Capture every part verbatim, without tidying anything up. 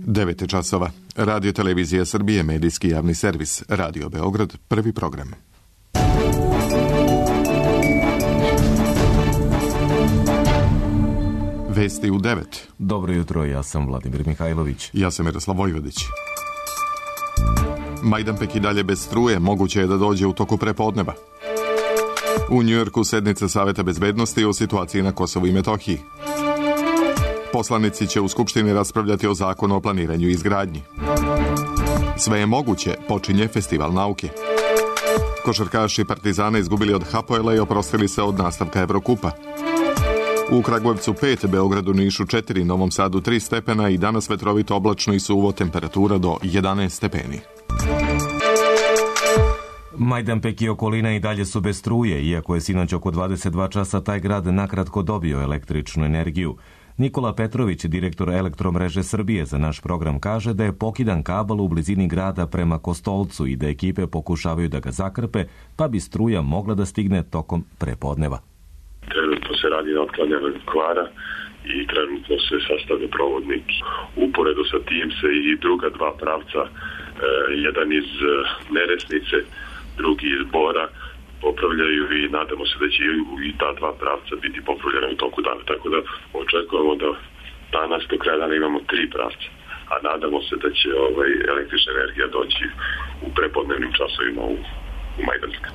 devet je časova. Radio Televizija Srbije, medijski javni servis. Radio Beograd, prvi program. Vesti u devet. Dobro jutro, ja sam Vladimir Mihajlović. Ja sam Miroslav Vojvodić. Majdanpek i dalje bez struje, moguće je da dođe u toku prepodneva. U Njujorku sednica Saveta bezbednosti o situaciji na Kosovu i Metohiji. Poslanici će u Skupštini raspravljati o zakonu o planiranju i izgradnji. Sve je moguće, počinje Festival nauke. Košarkaši Partizana izgubili od Hapoela i oprostili se od nastavka Evrokupa. U Kragujevcu pet, Beogradu, Nišu četiri, Novom Sadu tri stepena i danas vetrovito, oblačno i suvo, temperatura do jedanaest stepeni. Majdanpek i okolina i dalje su bez struje, iako je sinoć oko dvadeset dva časa taj grad nakratko dobio električnu energiju. Nikola Petrović, direktor Elektromreže Srbije, za naš program kaže da je pokidan kabel u blizini grada prema Kostolcu i da ekipe pokušavaju da ga zakrpe, pa bi struja mogla da stigne tokom prepodneva. Trenutno se radi na otklanjanju kvara i trenutno se sastavlja provodnik. Uporedo sa tim se i druga dva pravca, e, jedan iz Neresnice, drugi iz Bora, popravljaju i nadamo se da će i ta dva pravca biti popravljena u toku dana. Tako da očekujemo da danas do kraja dana imamo tri pravca, a nadamo se da će ovaj, električna energija doći u prepodnevnim časovima u, u Majdanpek.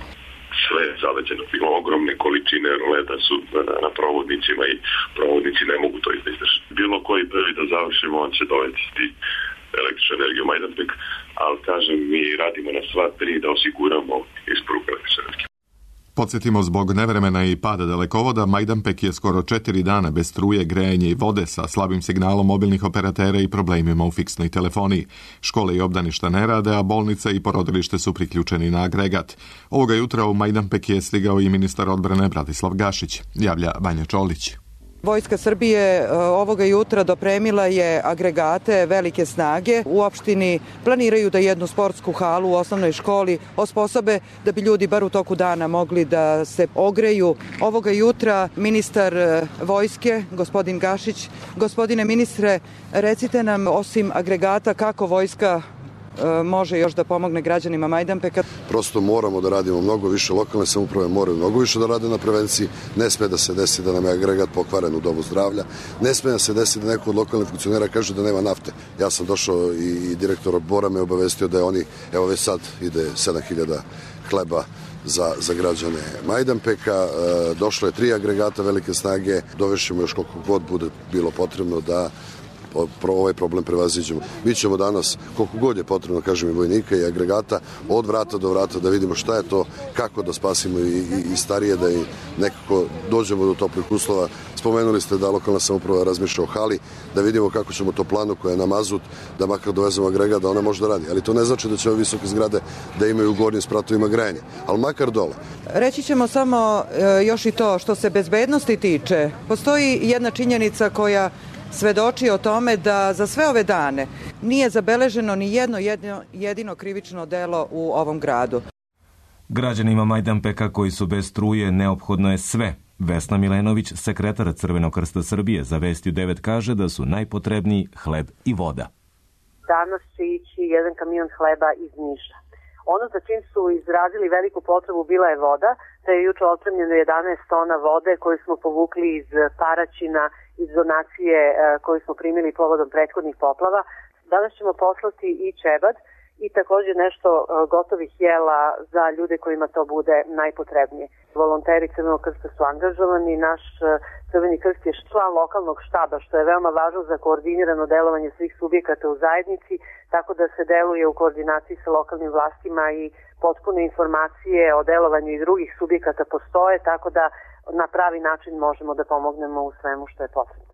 Sve je zaleđeno, bilo ogromne količine leda su na, na provodnicima i provodnici ne mogu to izdržati. Bilo koji prvi da završimo, on će dovesti električnu energiju u Majdanpek, ali kažem, mi radimo na sva tri da osiguramo isporuku električne energije. Podsjetimo, zbog nevremena i pada dalekovoda, Majdanpek je skoro četiri dana bez struje, grejanja i vode sa slabim signalom mobilnih operatera i problemima u fiksnoj telefoniji. Škole i obdaništa ne rade, a bolnica i porodilište su priključeni na agregat. Ovoga jutra u Majdanpek je stigao i ministar odbrane Bratislav Gašić, javlja Vanja Čolić. Vojska Srbije ovoga jutra dopremila je agregate velike snage. U opštini planiraju da jednu sportsku halu u osnovnoj školi osposobe da bi ljudi bar u toku dana mogli da se ogreju. Ovoga jutra ministar vojske, gospodin Gašić, gospodine ministre, recite nam osim agregata kako vojska može još da pomogne građanima Majdanpeka. Prosto moramo da radimo mnogo više, lokalne samouprave moraju mnogo više da rade na prevenciji. Ne sme da se desi da nam je agregat pokvaren u domu zdravlja. Ne sme da se desi da neko od lokalnih funkcionera kaže da nema nafte. Ja sam došao i, i direktor Bora me obavestio da je oni, evo već sad ide sedam hiljada hleba za, za građane Majdanpeka. E, došlo je tri agregata velike snage. Dovešćemo još koliko god bude bilo potrebno da ovaj problem prevaziđemo. Mi ćemo danas, koliko god je potrebno, kažem, i vojnika i agregata, od vrata do vrata da vidimo šta je to, kako da spasimo i, i, i starije, da i nekako dođemo do toplih uslova. Spomenuli ste da lokalna samouprava razmišlja o hali, da vidimo kako ćemo to planu koja je na mazut, da makar dovezemo agregat, da ona može da radi. Ali to ne znači da će ove visoke zgrade da imaju u gornjim spratovima grejanje, ali makar dole. Reći ćemo samo e, još i to što se bezbednosti tiče. Postoji jedna činjenica koja svedoči o tome da za sve ove dane nije zabeleženo ni jedno jedino, jedino krivično delo u ovom gradu. Građanima Majdanpeka koji su bez struje neophodno je sve. Vesna Milenović, sekretar Crvenog krsta Srbije, za Vesti u devet kaže da su najpotrebniji hleb i voda. Danas će ići jedan kamion hleba iz Niša. Ono za čim su izrazili veliku potrebu bila je voda, te je juče opremljeno jedanaest tona vode koju smo povukli iz Paraćina, iz donacije koju smo primili povodom prethodnih poplava. Danas ćemo poslati i ćebad i također nešto gotovih jela za ljude kojima to bude najpotrebnije. Volonteri Crvenog krsta su angažovani, naš Crveni krst je član lokalnog štaba, što je veoma važno za koordinirano delovanje svih subjekata u zajednici, tako da se deluje u koordinaciji sa lokalnim vlastima i potpune informacije o delovanju i drugih subjekata postoje, tako da na pravi način možemo da pomognemo u svemu što je potrebno.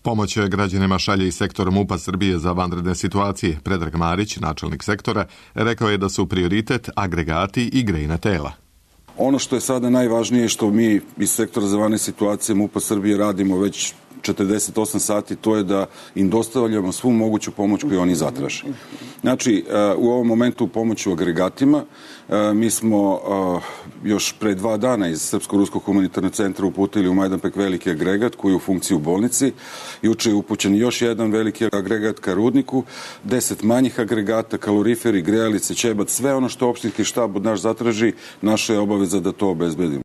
Pomoć građanima šalje i sektor MUP-a Srbije za vanredne situacije. Predrag Marić, načelnik sektora, rekao je da su prioritet agregati i grejna tela. Ono što je sada najvažnije, što mi iz sektora za vanredne situacije MUP-a Srbije radimo već četrdeset osam sati, to je da im dostavljamo svu moguću pomoć koju oni zatraže. Znači, u ovom momentu pomoć u agregatima, Mi smo još pre dva dana iz Srpsko-ruskog humanitarnog centra uputili u Majdanpek veliki agregat koji je u funkciji u bolnici. Juče je upućen još jedan veliki agregat ka rudniku, deset manjih agregata, kaloriferi, grejalice, ćebat, sve ono što opštinski štab od naš zatraži, naša je obaveza da to obezbedimo.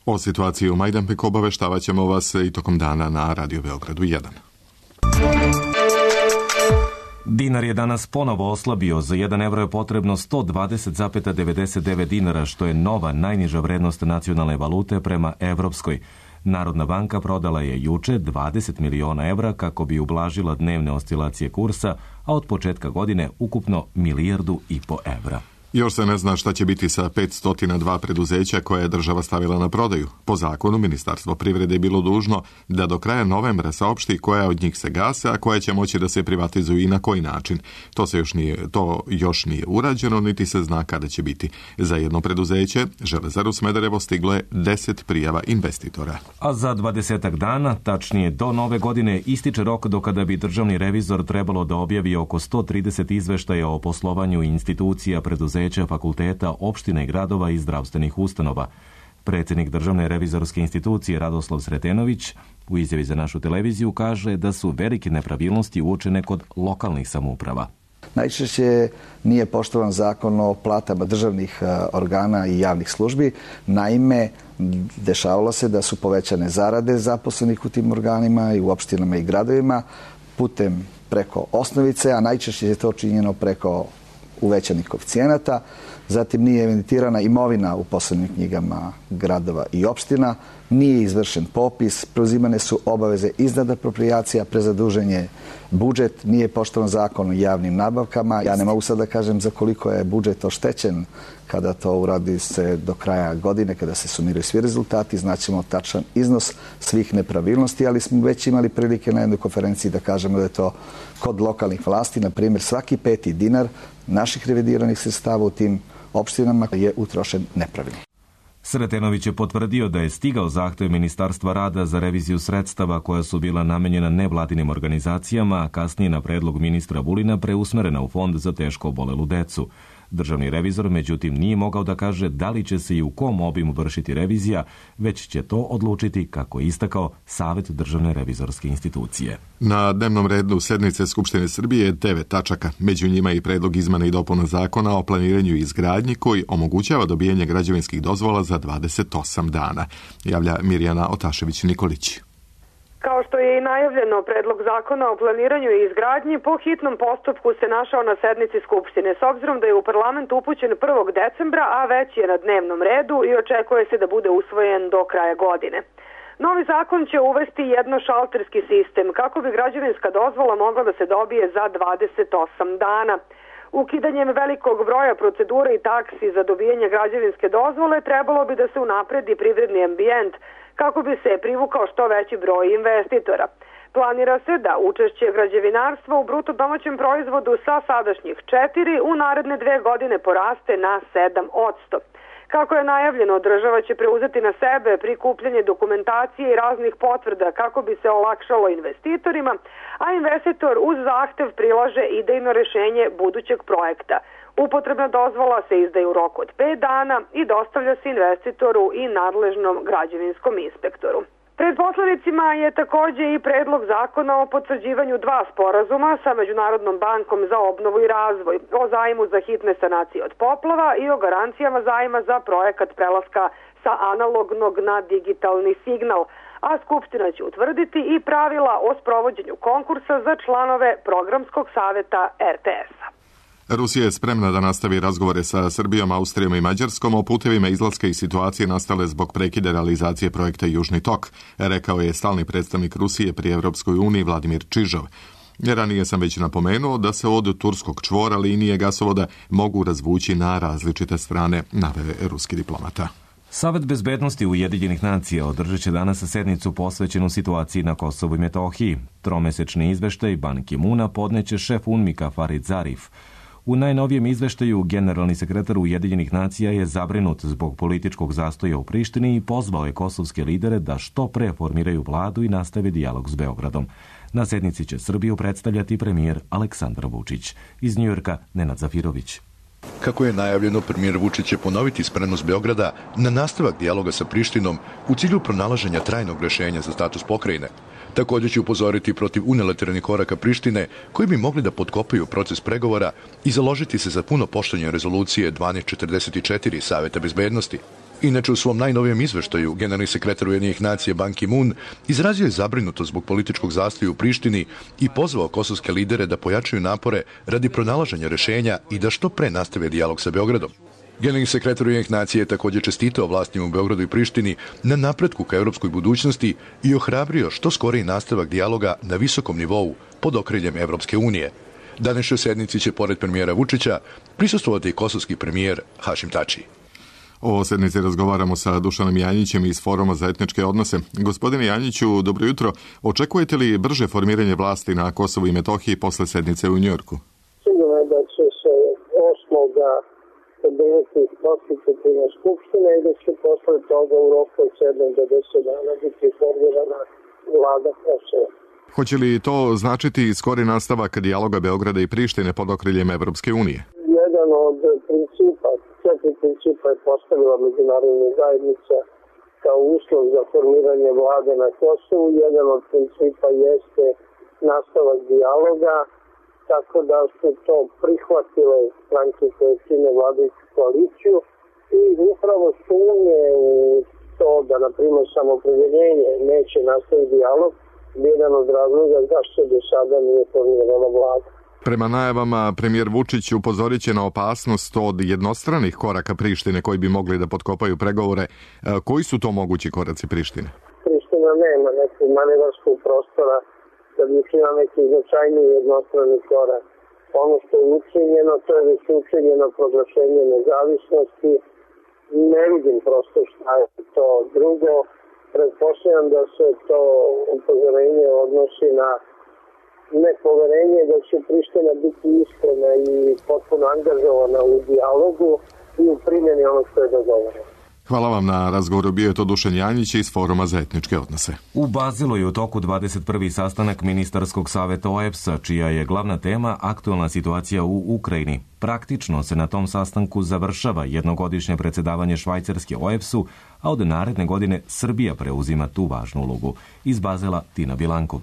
O situaciji u Majdanpeku obaveštavat ćemo vas i tokom dana na Radio Beogradu jedan. Dinar je danas ponovo oslabio. Za jedan evro je potrebno sto dvadeset zarez devedeset devet dinara, što je nova najniža vrednost nacionalne valute prema evropskoj. Narodna banka prodala je juče dvadeset miliona evra kako bi ublažila dnevne oscilacije kursa, a od početka godine ukupno milijardu i po evra. Još se ne zna šta će biti sa petsto dva preduzeća koje je država stavila na prodaju. Po zakonu, Ministarstvo privrede je bilo dužno da do kraja novembra saopšti koja od njih se gase, a koje će moći da se privatizuju i na koji način. To, se još nije, to još nije urađeno, niti se zna kada će biti. Za jedno preduzeće, Železaru Smederevo, stiglo je deset prijava investitora. A za dvadesetak dana, tačnije do nove godine, ističe rok do kada bi državni revizor trebalo da objavi oko sto trideset izveštaja o poslovanju institucija, preduzeća, fakulteta, opština i gradova i zdravstvenih ustanova. Predsjednik Državne revizorske institucije Radoslav Sretenović u izjavi za našu televiziju kaže da su velike nepravilnosti uočene kod lokalnih samouprava. Najčešće nije poštovan zakon o platama državnih organa i javnih službi. Naime, dešavalo se da su povećane zarade zaposlenih u tim organima i u opštinama i gradovima putem preko osnovice, a najčešće je to činjeno preko uvećanih koeficijenata. Zatim nije evidentirana imovina u poslovnim knjigama gradova i opština, nije izvršen popis, preuzimane su obaveze iznad aproprijacija, prezaduženje budžet, nije poštovan zakon o javnim nabavkama. Ja ne mogu sad da kažem za koliko je budžet oštećen kada to uradi se do kraja godine, kada se sumiraju svi rezultati, znaćemo tačan iznos svih nepravilnosti, ali smo već imali prilike na jednoj konferenciji da kažemo da je to kod lokalnih vlasti, na primjer svaki peti dinar naših revidiranih sredstava u tim opštinama je utrošen nepravilno. Sretenović je potvrdio da je stigao zahtev Ministarstva rada za reviziju sredstava koja su bila namenjena nevladinim organizacijama, a kasnije na predlog ministra Vulina preusmerena u Fond za teško obolelu decu. Državni revizor, međutim, nije mogao da kaže da li će se i u kom obimu vršiti revizija, već će to odlučiti, kako je istakao, Savet Državne revizorske institucije. Na dnevnom redu sednice Skupštine Srbije je devet tačaka. Među njima je i predlog izmena i dopuna zakona o planiranju i izgradnji koji omogućava dobijanje građevinskih dozvola za dvadeset osam dana. Javlja Mirjana Otašević-Nikolić. Kao što je i najavljeno, predlog zakona o planiranju i izgradnji po hitnom postupku se našao na sednici Skupštine, s obzirom da je u parlament upućen prvog decembra, a već je na dnevnom redu i očekuje se da bude usvojen do kraja godine. Novi zakon će uvesti jednošalterski sistem kako bi građevinska dozvola mogla da se dobije za dvadeset osam dana. Ukidanjem velikog broja procedura i taksi za dobijanje građevinske dozvole trebalo bi da se unapredi privredni ambijent kako bi se privukao što veći broj investitora. Planira se da učešće građevinarstva u bruto domaćem proizvodu sa sadašnjih četiri u naredne dve godine poraste na sedam posto. Kako je najavljeno, država će preuzeti na sebe prikupljanje dokumentacije i raznih potvrda kako bi se olakšalo investitorima, a investitor uz zahtev prilaže idejno rešenje budućeg projekta. Upotrebna dozvola se izdaje u roku od pet dana i dostavlja se investitoru i nadležnom građevinskom inspektoru. Pred poslanicima je takođe i predlog zakona o potvrđivanju dva sporazuma sa Međunarodnom bankom za obnovu i razvoj, o zajmu za hitne sanacije od poplava i o garancijama zajma za projekat prelaska sa analognog na digitalni signal, a Skupština će utvrditi i pravila o sprovođenju konkursa za članove programskog saveta er te es-a. Rusija je spremna da nastavi razgovore sa Srbijom, Austrijom i Mađarskom o putevima izlaska iz situacije nastale zbog prekida realizacije projekta Južni tok, rekao je stalni predstavnik Rusije pri Evropskoj uniji Vladimir Čižov. Ranije sam već napomenuo da se od turskog čvora linije gasovoda mogu razvući na različite strane, naveo ruski diplomata. Savet bezbednosti Ujedinjenih nacija održat će danas sednicu posvećenu situaciji na Kosovu i Metohiji. Tromesečni izveštaj Ban Ki-muna podneće šef UNMIK-a Farid Zarif. U najnovijem izveštaju generalni sekretar Ujedinjenih nacija je zabrinut zbog političkog zastoja u Prištini i pozvao je kosovske lidere da što pre formiraju vladu i nastave dijalog s Beogradom. Na sednici će Srbiju predstavljati premijer Aleksandar Vučić. Iz Njujorka Nenad Zafirović. Kako je najavljeno, premijer Vučić će ponoviti spremnost Beograda na nastavak dijaloga sa Prištinom u cilju pronalaženja trajnog rešenja za status pokrajine. Također će upozoriti protiv unilateralnih koraka Prištine koji bi mogli da potkopaju proces pregovora i založiti se za puno poštovanje rezolucije dvanaest četrdeset četiri Saveta bezbednosti. Inače, u svom najnovijem izveštaju, generalni sekretar Ujedinjenih nacija Ban Ki-moon izrazio je zabrinutost zbog političkog zastoja u Prištini i pozvao kosovske lidere da pojačaju napore radi pronalaženja rešenja i da što pre nastave dijalog sa Beogradom. Generalni sekretar Ujedinjenih nacija je također čestitao vlastima u Beogradu i Prištini na napretku ka evropskoj budućnosti i ohrabrio što skoriji nastavak dijaloga na visokom nivou pod okriljem Evropske unije. Današnjoj sednici će, pored premijera Vučića, prisustvovati i kosovski premijer Hašim Tači. O sednici razgovaramo sa Dušanom Janjićem iz Foruma za etničke odnose. Gospodine Janjiću, dobro jutro. Očekujete li brže formiranje vlasti na Kosovu i Metohiji posle sednice u Njujorku? Sigurno je da će se osmoga održati konstitutivna skupština i da će posle toga u roku od sedam do deset dana biti formirana vlada Kosova. Hoće li to značiti skori nastavak dijaloga Beograda i Prištine pod okriljem Evropske unije? Jedan od principa, četiri principa je postavila međunarodna zajednica kao uslov za formiranje vlade na Kosovu. Jedan od principa jeste nastavak dijaloga, tako da su to prihvatile stranke koje čine vladajuću koaliciju i upravo sumnje u to da, na primjer, samoopredeljenje neće nastaviti dijalog, jedan od razloga zašto do sada nije formirana vlada. Prema najavama, premijer Vučić upozorit će na opasnost od jednostranih koraka Prištine koji bi mogli da potkopaju pregovore. Koji su to mogući koraci Prištine? Priština nema nekog manevarskog prostora da bi učinila neki značajniji jednostrani korak. Ono što je učinjeno, to je već učinjeno proglašenje nezavisnosti. Ne vidim prosto šta je to drugo. Pretpostavljam da se to upozorenje odnosi na nepoverenje da će Priština biti iskrena i potpuno angažovana u dijalogu i u primjeni onog što je dogovoreno. Hvala vam na razgovoru. Bio je to Dušan Janjić iz Foruma za etničke odnose. U Bazilu je u toku dvadeset prvi sastanak ministarskog saveta O E P S-a, čija je glavna tema aktualna situacija u Ukrajini. Praktično se na tom sastanku završava jednogodišnje predsjedavanje Švajcarske O E P S-u, a od naredne godine Srbija preuzima tu važnu ulogu. Iz Bazela Tina Bilankov.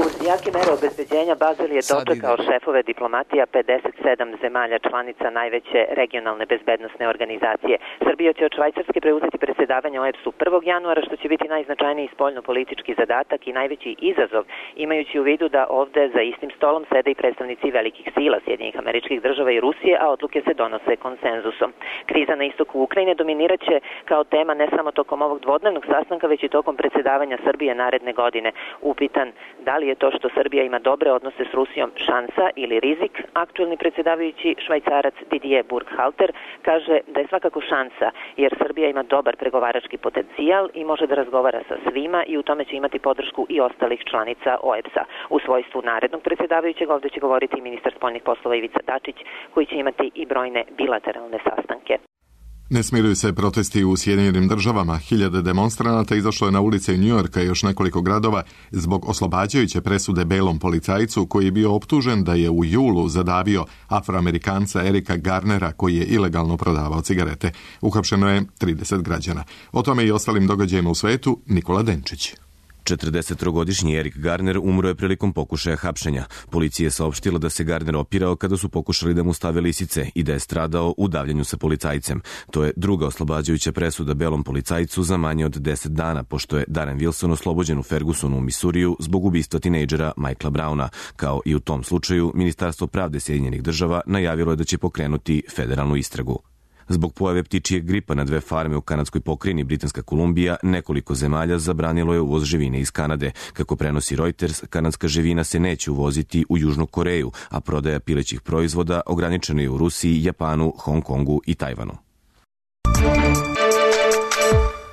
Uz jake mere obezbeđenja Bazel je dočekao šefove diplomatija pedeset sedam zemalja članica najveće regionalne bezbednosne organizacije. Srbija će od Švajcarske preuzeti predsjedavanje O E P S-u prvog januara, što će biti najznačajniji spoljno-politički zadatak i najveći izazov, imajući u vidu da ovde za istim stolom sede i predstavnici velikih sila Sjedinjenih Američkih Država i Rusije, a odluke se donose konsenzusom. Kriza na istoku Ukrajine dominiraće kao tema ne samo tokom ovog dvodnevnog sastanka, već i tokom predsjedavanja Srbije naredne godine. Upitan da li je to što Srbija ima dobre odnose s Rusijom šansa ili rizik, aktuelni predsjedavajući Švajcarac Didier Burkhalter kaže da je svakako šansa, jer Srbija ima dobar pregovarački potencijal i može da razgovara sa svima i u tome će imati podršku i ostalih članica O E P S-a. U svojstvu narednog predsjedavajućeg ovdje će govoriti i ministar spoljnih poslova Ivica Dačić, koji će imati i brojne bilateralne sastanke. Ne smiruju se protesti u Sjedinjenim Državama. Hiljade demonstranata izašlo je na ulice Njujorka i još nekoliko gradova zbog oslobađajuće presude belom policajcu koji je bio optužen da je u julu zadavio Afroamerikanca Erika Garnera koji je ilegalno prodavao cigarete. Uhapšeno je trideset građana. O tome i ostalim događajima u svetu Nikola Denčić. četrdesettrogodišnji Erik Garner umro je prilikom pokušaja hapšenja. Policija je saopštila da se Garner opirao kada su pokušali da mu stave lisice i da je stradao u davljenju sa policajcem. To je druga oslobađajuća presuda belom policajcu za manje od deset dana, pošto je Darren Wilson oslobođen u Fergusonu u Misuriju zbog ubistva tinejdžera Michaela Browna. Kao i u tom slučaju, Ministarstvo pravde Sjedinjenih Država najavilo je da će pokrenuti federalnu istragu. Zbog pojave ptičijeg gripa na dve farme u kanadskoj pokrajini Britanska Kolumbija, nekoliko zemalja zabranilo je uvoz živine iz Kanade. Kako prenosi Reuters, kanadska živina se neće uvoziti u Južnu Koreju, a prodaja pilećih proizvoda ograničena je u Rusiji, Japanu, Hong Kongu i Tajvanu.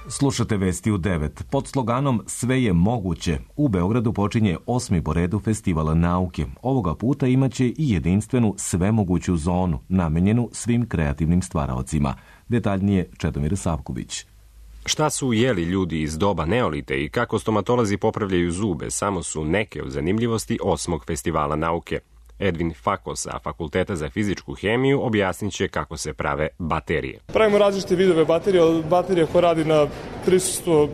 Slušate vesti u devet. Pod sloganom Sve je moguće, u Beogradu počinje osmi po redu festivala nauke. Ovoga puta imaće i jedinstvenu svemoguću zonu, namenjenu svim kreativnim stvaraocima. Detaljnije Čedomir Savković. Šta su jeli ljudi iz doba neolite i kako stomatolozi popravljaju zube samo su neke od zanimljivosti osmog festivala nauke. Edvin Fakos sa Fakulteta za fizičku hemiju objasnit će kako se prave baterije. Pravimo različite vidove baterije, od baterije koja radi na prisustvo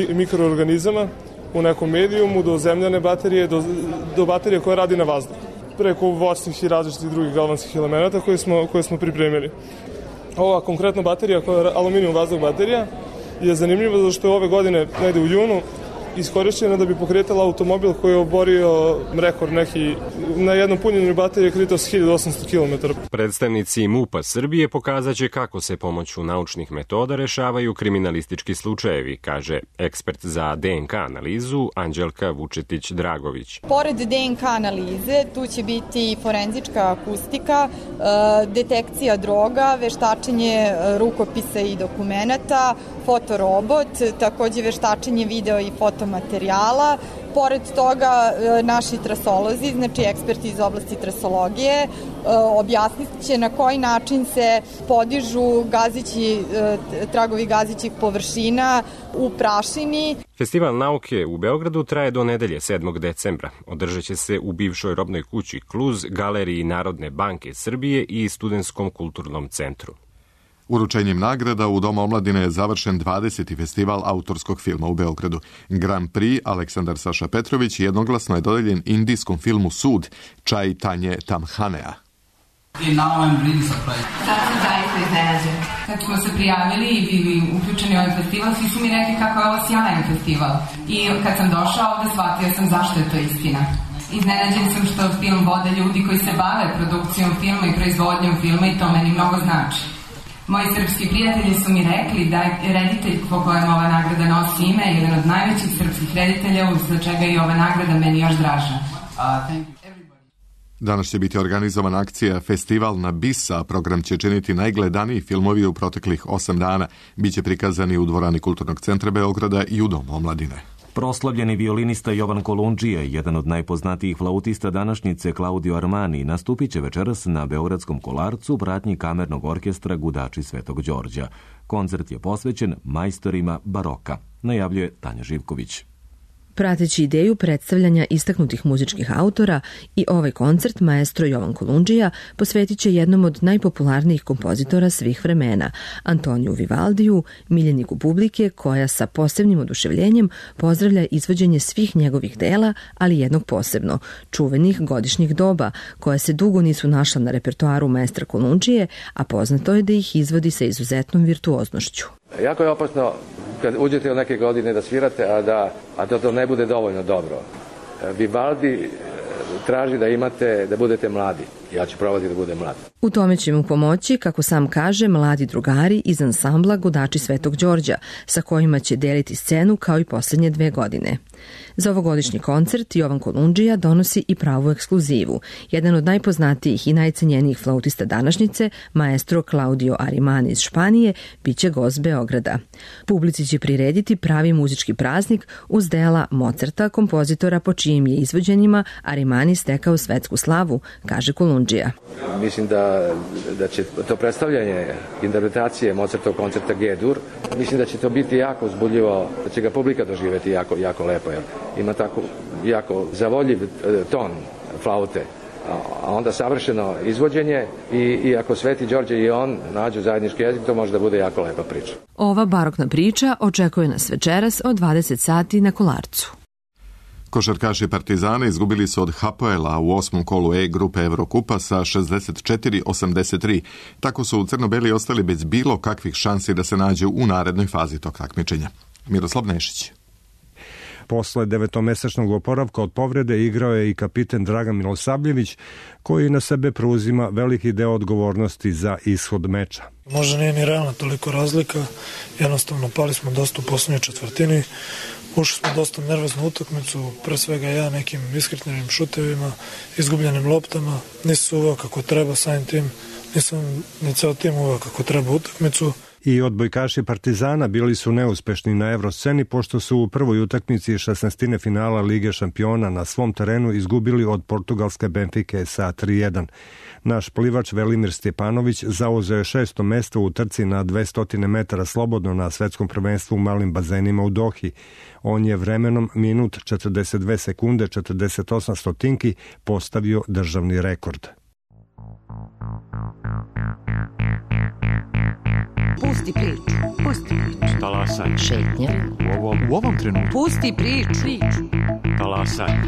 mikroorganizama u nekom medijumu, do zemljane baterije, do, do baterije koja radi na vazduh, preko voćnih i različitih drugih galvanskih elemenata koje smo, koje smo pripremili. Ova konkretna baterija, koja je aluminijum vazduh baterija, je zanimljiva zato što je ove godine, negde u junu, iskorišćena da bi pokretala automobil koji je oborio rekord neki, na jednom punjenju baterije kretao s hiljadu osamsto kilometara. Predstavnici MUP-a Srbije pokazat će kako se pomoću naučnih metoda rešavaju kriminalistički slučajevi, kaže ekspert za D N K analizu Anđelka Vučetić-Dragović. Pored D N K analize, tu će biti forenzička akustika, detekcija droga, veštačenje rukopisa i dokumenata, fotorobot, takođe veštačenje video i fotomaterijala. Pored toga, naši trasolozi, znači eksperti iz oblasti trasologije, objasnit će na koji način se podižu gazići, tragovi gazićih površina u prašini. Festival nauke u Beogradu traje do nedelje sedmog decembra. Održat će se u bivšoj robnoj kući Kluz, Galeriji Narodne banke Srbije i Studentskom kulturnom centru. Uručenjem nagrada u Domu omladine je završen dvadeseti festival autorskog filma u Beogradu. Grand Prix Aleksandar Saša Petrović jednoglasno je dodeljen indijskom filmu Sud Čaitanje Tamhanea. I now I'm really surprised. Sad sam zaista iznenađen. Kad smo se prijavili i bili uključeni u ovaj festival, svi su mi rekli kako je ovo sjajan festival. I kad sam došao ovde, shvatio sam zašto je to istina. Iznenađen sam što film vode ljudi koji se bave produkcijom filma i proizvodnjom filma i to meni mnogo znači. Moji srpski prijatelji su mi rekli da je reditelj po kojem ova nagrada nosi ime jedan od najvećih srpskih reditelja, za čega je ova nagrada meni još draža. Danas će biti organizovana akcija Festival na bis, a program će činiti najgledaniji filmovi u proteklih osam dana. Biće prikazani u dvorani Kulturnog centra Beograda i u Domu omladine. Proslavljeni violinista Jovan Kolundžija, jedan od najpoznatijih flautista današnjice Claudio Armani, nastupit će večeras na Beogradskom Kolarcu u pratnji kamernog orkestra Gudači Svetog Đorđa. Koncert je posvećen majstorima baroka, najavljuje Tanja Živković. Prateći ideju predstavljanja istaknutih muzičkih autora, i ovaj koncert maestro Jovan Kolundžija posvetit će jednom od najpopularnijih kompozitora svih vremena, Antoniju Vivaldiju, miljeniku publike koja sa posebnim oduševljenjem pozdravlja izvođenje svih njegovih dela, ali jednog posebno, čuvenih godišnjih doba, koja se dugo nisu našla na repertoaru maestra Kolundžije, a poznato je da ih izvodi sa izuzetnom virtuoznošću. Jako je opasno kad uđete u neke godine da svirate, a da, a da to ne bude dovoljno dobro. Vivaldi traži da imate, da budete mladi. Ja ću probati da budem mlad. U tome će mu pomoći, kako sam kaže, mladi drugari iz ansambla Gudači Svetog Đorđa, sa kojima će deliti scenu kao i poslednje dve godine. Za ovogodišnji koncert Jovan Kolundžija donosi i pravu ekskluzivu. Jedan od najpoznatijih i najcenjenijih flautista današnjice, maestro Claudio Arimani iz Španije, biće gost Beograda. Publici će prirediti pravi muzički praznik uz dela Mozarta, kompozitora po čijim je izvođenjima Arimani stekao svetsku slavu, kaže Kolundžija. Mislim da, da će to predstavljanje interpretacije Mozartov koncerta G-dur, mislim da će to biti jako uzbudljivo, da će ga publika doživeti jako, jako lepo. Jer ima tako jako zavoljiv ton flaute, a onda savršeno izvođenje i, i ako Sveti Đorđe i on nađu zajednički jezik, to može da bude jako lepa priča. Ova barokna priča očekuje nas večeras od dvadeset sati na Kolarcu. Košarkaši Partizana izgubili su od Hapoela u osmom kolu E grupe Evrokupa sa šezdeset četiri osamdeset tri. Tako su u crno-beli ostali bez bilo kakvih šansi da se nađu u narednoj fazi tog takmičenja. Miroslav Nešić. Posle devetomesečnog oporavka od povrede igrao je i kapiten Dragan Milosavljević, koji na sebe preuzima veliki deo odgovornosti za ishod meča. Možda nije ni realna toliko razlika, jednostavno pali smo dosta u poslednjoj četvrtini, ušli smo dosta nervoznu utakmicu, pre svega ja nekim iskretnim šutevima, izgubljenim loptama, nisu uveo kako treba samim tim, nisam ni ceo tim uveo kako treba utakmicu. I odbojkaši Partizana bili su neuspešni na evrosceni pošto su u prvoj utakmici šesnaestine finala Lige šampiona na svom terenu izgubili od portugalske Benfike sa tri jedan. Naš plivač Velimir Stjepanović zauzeo je šesto mesto u trci na dvesta metara slobodno na svetskom prvenstvu u malim bazenima u Dohi. On je vremenom minut četrdeset dve sekunde četrdeset osam stotinki postavio državni rekord. Pusti priču, pusti priču. Talasaj. Šetnja. U ovom, u ovom trenutku. Pusti priču. Talasaj.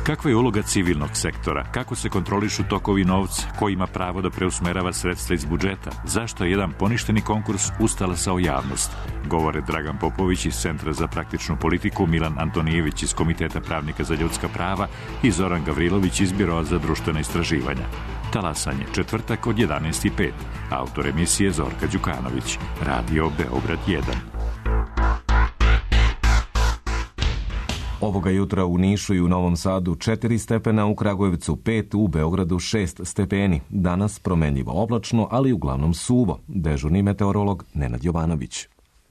Kakva je uloga civilnog sektora? Kako se kontrolišu tokovi novca? Ko ima pravo da preusmerava sredstva iz budžeta? Zašto je jedan poništeni konkurs ustalasao javnost? Govore Dragan Popović iz Centra za praktičnu politiku, Milan Antonijević iz Komiteta pravnika za ljudska prava i Zoran Gavrilović iz Biroa za društvena istraživanja. Talasanje, četvrtak od jedanaest i pet. Autor emisije Zorka Đukanović. Radio Beograd jedan. Ovoga jutra u Nišu i u Novom Sadu četiri stepena, u Kragujevcu pet, u Beogradu šest stepeni. Danas promenljivo oblačno, ali uglavnom suvo. Dežurni meteorolog Nenad Jovanović.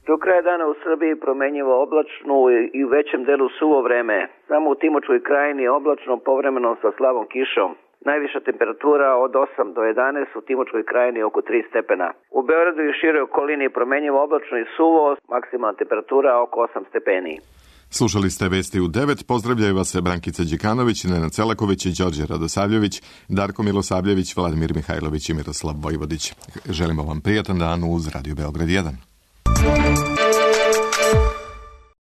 Do kraja dana u Srbiji promenljivo oblačno i u većem delu suvo vreme. Samo u Timočkoj krajini oblačno, povremeno sa slabom kišom. Najviša temperatura od osam do jedanaest, u Timočkoj krajini oko tri stepena. U Beogradu i široj okolini promenljivo oblačno i suvo, maksimalna temperatura oko osam stepeni. Slušali ste Vesti u devet, pozdravljaju vas Brankica Đikanović, Nenad Celaković i Đorđe Radosavljević, Darko Milosavljević, Vladimir Mihajlović i Miroslav Vojvodić. Želimo vam prijatan dan uz Radio Beograd jedan.